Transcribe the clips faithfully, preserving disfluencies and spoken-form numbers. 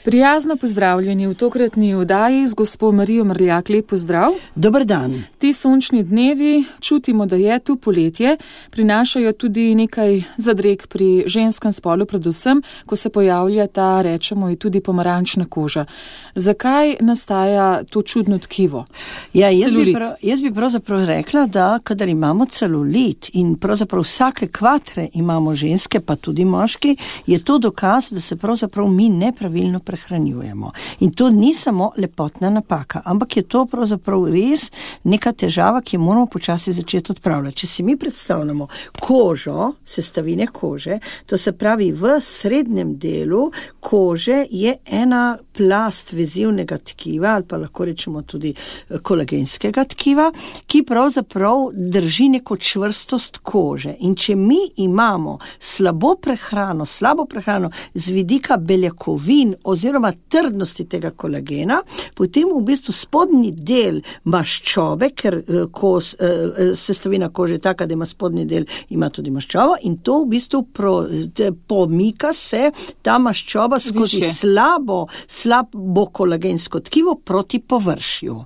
Prijazno pozdravljeni v tokratni oddaji z gospo Marijo Mrljak. Lep pozdrav. Dober dan. Ti sončni dnevi, čutimo, da je tu poletje, prinašajo tudi nekaj zadreg pri ženskem spolu, predvsem, ko se pojavlja ta, rečemo, in tudi pomarančna koža. Zakaj nastaja to čudno tkivo? Ja, jaz bi, prav, jaz bi pravzaprav rekla, da kadar imamo celulit in pravzaprav vsake kvatre imamo ženske, pa tudi moški, je to dokaz, da se pravzaprav mi nepravilno prehranjujemo. In to ni samo lepotna napaka, ampak je to pravzaprav res neka težava, ki jo moramo počasi začeti odpravljati. Če si mi predstavljamo kožo, sestavine kože, to se pravi v srednjem delu kože je ena plast vezivnega tkiva, ali pa lahko rečemo tudi kolagenskega tkiva, ki pravzaprav drži neko čvrstost kože. In če mi imamo slabo prehrano, slabo prehrano z vidika beljakovin oziroma trdnosti tega kolagena, potem v bistvu spodnji del maščobe, ker kos, sestavina kože je taka, da ima spodnji del, ima tudi maščobo in to v bistvu pro, pomika se ta maščoba skozi Više. slabo, slabo kolagensko tkivo proti površju.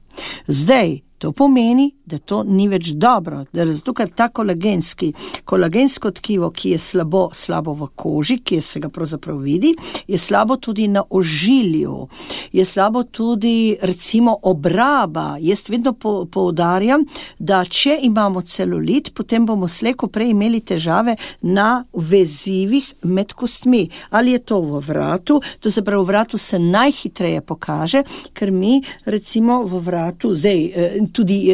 Zdaj, to pomeni, da to ni več dobro, da zato, ker ta kolagenski, kolagensko tkivo, ki je slabo, slabo v koži, ki se ga pravzaprav vidi, je slabo tudi na ožilju, je slabo tudi recimo obraba. Jaz vedno po, poudarjam, da če imamo celulit, potem bomo slejko prej imeli težave na vezivih med kostmi. Ali je to v vratu, to se pravi v vratu se najhitreje pokaže, ker mi recimo v vratu, zdaj tudi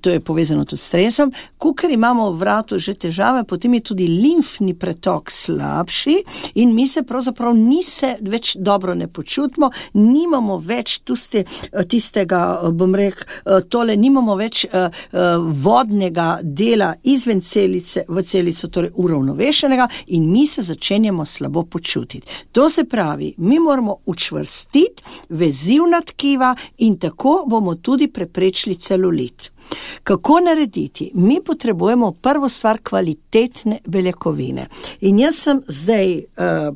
to je povezano tudi s stresom, kukor imamo v vratu že težave, potem je tudi limfni pretok slabši in mi se pravzaprav ni se več dobro ne počutimo, nimamo več tuste, tistega, bom rekel, tole, nimamo več vodnega dela izven celice v celico, torej uravnovešenega in mi se začenjamo slabo počutiti. To se pravi, mi moramo učvrstiti vezivna tkiva in tako bomo tudi preprečili celulit. Kako narediti? Mi potrebujemo prvo stvar kvalitetne beljakovine. In jaz sem zdaj,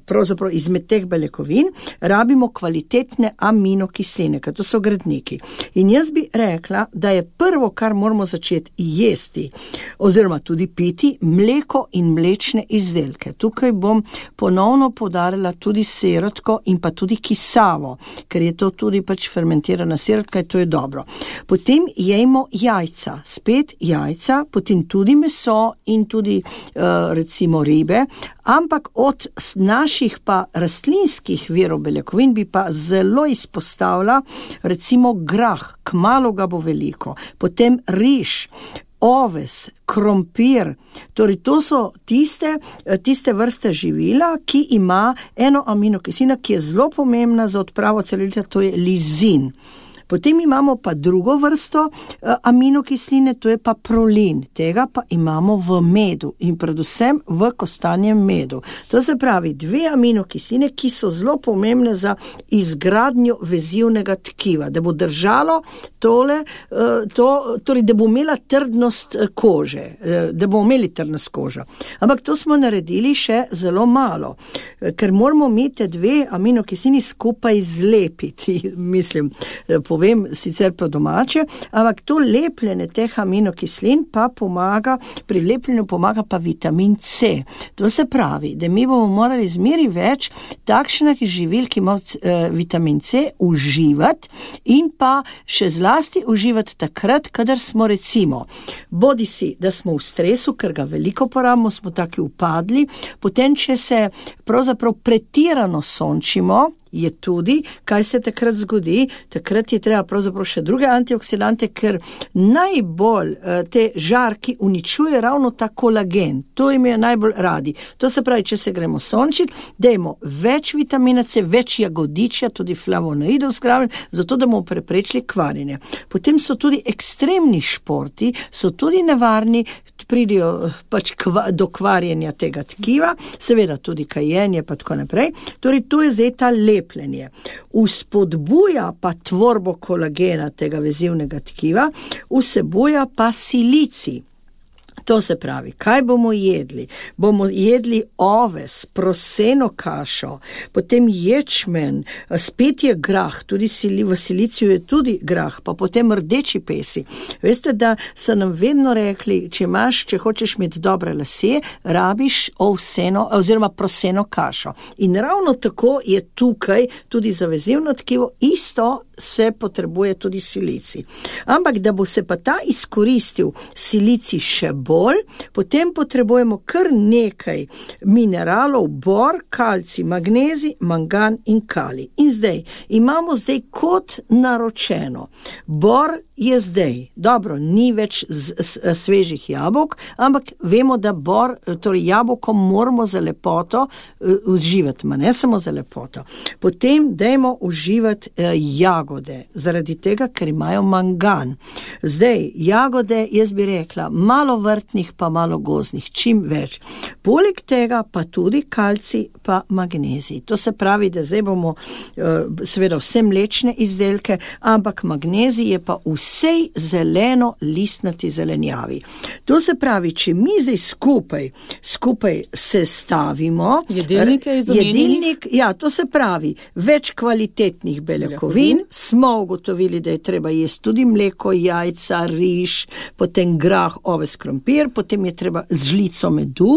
pravzaprav izmed teh beljakovin, rabimo kvalitetne aminokisline, ker to so gradniki. In jaz bi rekla, da je prvo, kar moramo začeti jesti, oziroma tudi piti, mleko in mlečne izdelke. Tukaj bom ponovno poudarila tudi sirotko in pa tudi kisavo, ker je to tudi pač fermentirana sirotka in to je dobro. Potem jejmo jajca, spet jajca, potem tudi meso in tudi uh, recimo ribe, ampak od naših pa rastlinskih virov beljakovin bi pa zelo izpostavila recimo grah, kmalu ga bo veliko, potem riž, oves, krompir, torej to so tiste, tiste vrste živila, ki ima eno aminokislino, ki je zelo pomembna za odpravo celulita, to je lizin. Potem imamo pa drugo vrsto aminokisline, to je pa prolin. Tega pa imamo v medu in predvsem v kostanjem medu. To se pravi dve aminokisline, ki so zelo pomembne za izgradnjo vezivnega tkiva, da bo držalo tole, to, torej da bo imela trdnost kože, da bo imeli trdnost koža. Ampak to smo naredili še zelo malo, ker moramo mi te dve aminokislini skupaj zlepiti, mislim, po povem sicer po domače, ampak to lepljenje teh aminokislin pa pomaga, pri lepljenju pomaga pa vitamin C. To se pravi, da mi bomo morali zmeri več takšnih živil, ki ima uh, vitamin C, uživati in pa še zlasti uživati takrat, kadar smo recimo, bodi si, da smo v stresu, ker ga veliko porabimo, smo taki upadli, potem, če se pravzaprav pretirano sončimo, je tudi, kaj se takrat zgodi, takrat je treba pravzaprav še druge antioksidante, ker najbolj te žarki uničuje ravno ta kolagen. To jim je najbolj radi. To se pravi, če se gremo sončiti, dajmo več vitamina C, več jagodičja, tudi flavonoidov zgraven, zato da bomo preprečili kvarjenje. Potem so tudi ekstremni športi, so tudi nevarni, pridijo pač kva, do kvarjenja tega tkiva, seveda tudi kajenje pa tako naprej. Torej, to je zdaj ta lepljenje. Uspodbuja pa tvorbo kolagena tega vezivnega tkiva, vsebuja pa silicij. To se pravi, kaj bomo jedli? Bomo jedli oves, proseno kašo, potem ječmen, spet je grah, tudi v siliciju je tudi grah, pa potem rdeči pesi. Veste, da so nam vedno rekli, če imaš, če hočeš imeti dobre lase, rabiš ovseno, oziroma proseno kašo. In ravno tako je tukaj tudi za vezivno tkivo, isto se potrebuje tudi silici. Ampak, da bo se pa ta izkoristil silici še bolj, potem potrebujemo kar nekaj mineralov, bor, kalcij, magnezij, mangan in kalij. In zdaj, imamo zdaj kot naročeno. Bor je zdaj, dobro, ni več z, z, svežih jabolk, ampak vemo, da bor, torej jabolko moramo za lepoto uh, uživati, ma ne samo za lepoto. Potem dajmo uživati uh, jagode, zaradi tega, ker imajo mangan. Zdaj, jagode, jaz bi rekla, malo vrtnih, pa malo gozdnih, čim več. Poleg tega pa tudi kalcij, pa magnezij. To se pravi, da zdaj bomo uh, seveda vse mlečne izdelke, ampak magnezij je pa vsej zeleno listnati zelenjavi. To se pravi, če mi zdaj skupaj, skupaj se stavimo, jedilnike jedilnik, ja, to se pravi, več kvalitetnih beljakovin, smo ugotovili, da je treba jesti tudi mleko, jajca, riž, potem grah, oves, krompir, potem je treba z žlico medu,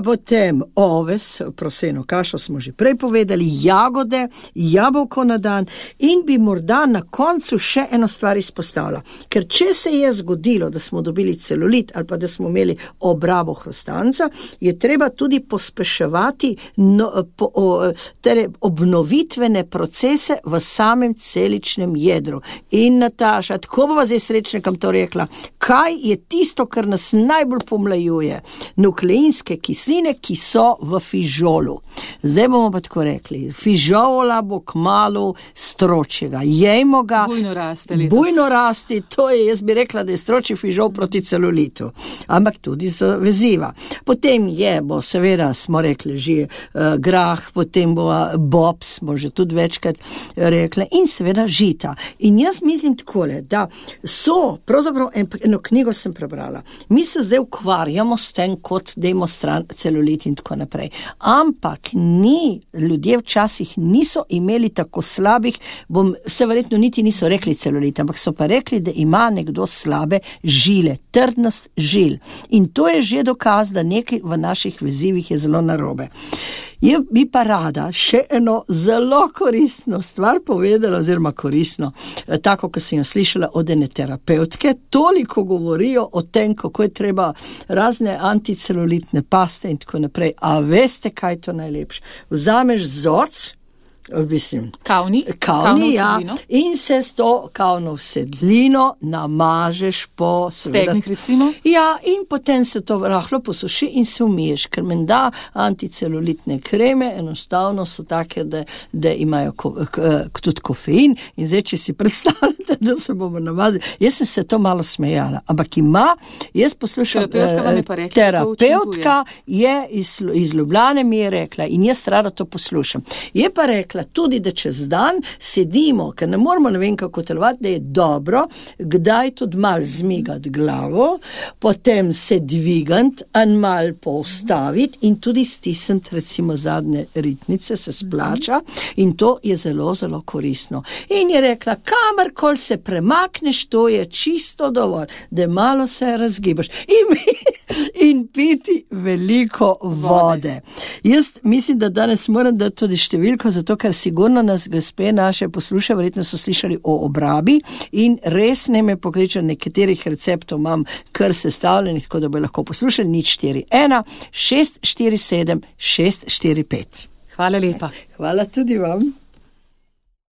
potem oves, proseno kašo smo že prej povedali, jagode, jabolko na dan in bi morda na koncu še eno stvar izpostavila. Ker če se je zgodilo, da smo dobili celulit ali pa da smo imeli obrabo hrustanca, je treba tudi pospeševati no, po, o, tere, obnovitvene procese v samem celičnem jedru. In Nataša, tako bova zdaj srečnikam to rekla, kaj je tisto, kar nas najbolj pomlajuje? Nukleinske kisline, ki so v fižolu. Zdaj bomo pa tako rekli, fižola bo kmalu stročjega. Jejmo ga. Bujno raste letos. Bujno rasti, to je, jaz bi rekla, da je stročji fižol proti celulitu. Ampak tudi z veziva. Potem je, bo seveda, smo rekli že uh, grah, potem bo bob, smo že tudi večkrat rekli, in seveda žita. In jaz mislim takole, da so, pravzaprav eno knjigo sem prebrala, mi se zdaj ukvarjamo s tem kot demonstranti celulit in tako naprej. Ampak ni, ljudje včasih niso imeli tako slabih, bom, se verjetno niti niso rekli celulit, ampak so pa rekli, da ima nekdo slabe žile, trdnost žil. In to je že dokaz, da nekaj v naših vezivih je zelo narobe. Je bi pa rada še eno zelo koristno stvar povedala, oziroma koristno, tako, ko sem jo slišala od ene terapeutke, toliko govorijo o tem, kako je treba razne anticelulitne paste in tako naprej. A veste, kaj je to najlepše? Vzameš zoc, mislim, kavni, kavni ja, in se s to kavno vsedlino namažeš po stegnih, recimo. Ja, in potem se to rahlo posuši in se umiješ, ker menda anticelulitne kreme enostavno so take, da, da imajo ko, k, k, tudi kofein in zdaj, če si predstavljate, da se bomo namazili. Jaz sem se to malo smejala, ampak ima, jaz poslušam, terapeutka, vam je pa rekla, terapeutka je iz, iz Ljubljane mi je rekla in jaz rada to poslušam. Je pa rekla tudi, da čez dan sedimo, ker ne moramo ne vem kako telovati, da je dobro, kdaj tudi mal zmigati glavo, potem se dvigant, en mal poustaviti in tudi stisniti recimo zadnje ritnice, se splača in to je zelo, zelo koristno. In je rekla, kamarkoli se premakneš, to je čisto dovolj, da malo se razgibaš in, in piti veliko vode. Jaz mislim, da danes moram dati tudi številko, zato ker sigurno nas gospe naše posluša, verjetno so slišali o obrabi in res ne me pokliča, nekaterih receptov imam kar sestavljenih, tako da bo lahko poslušali, nič štiri ena šest štiri sedem šest štiri pet. Hvala lepa. Hvala tudi vam.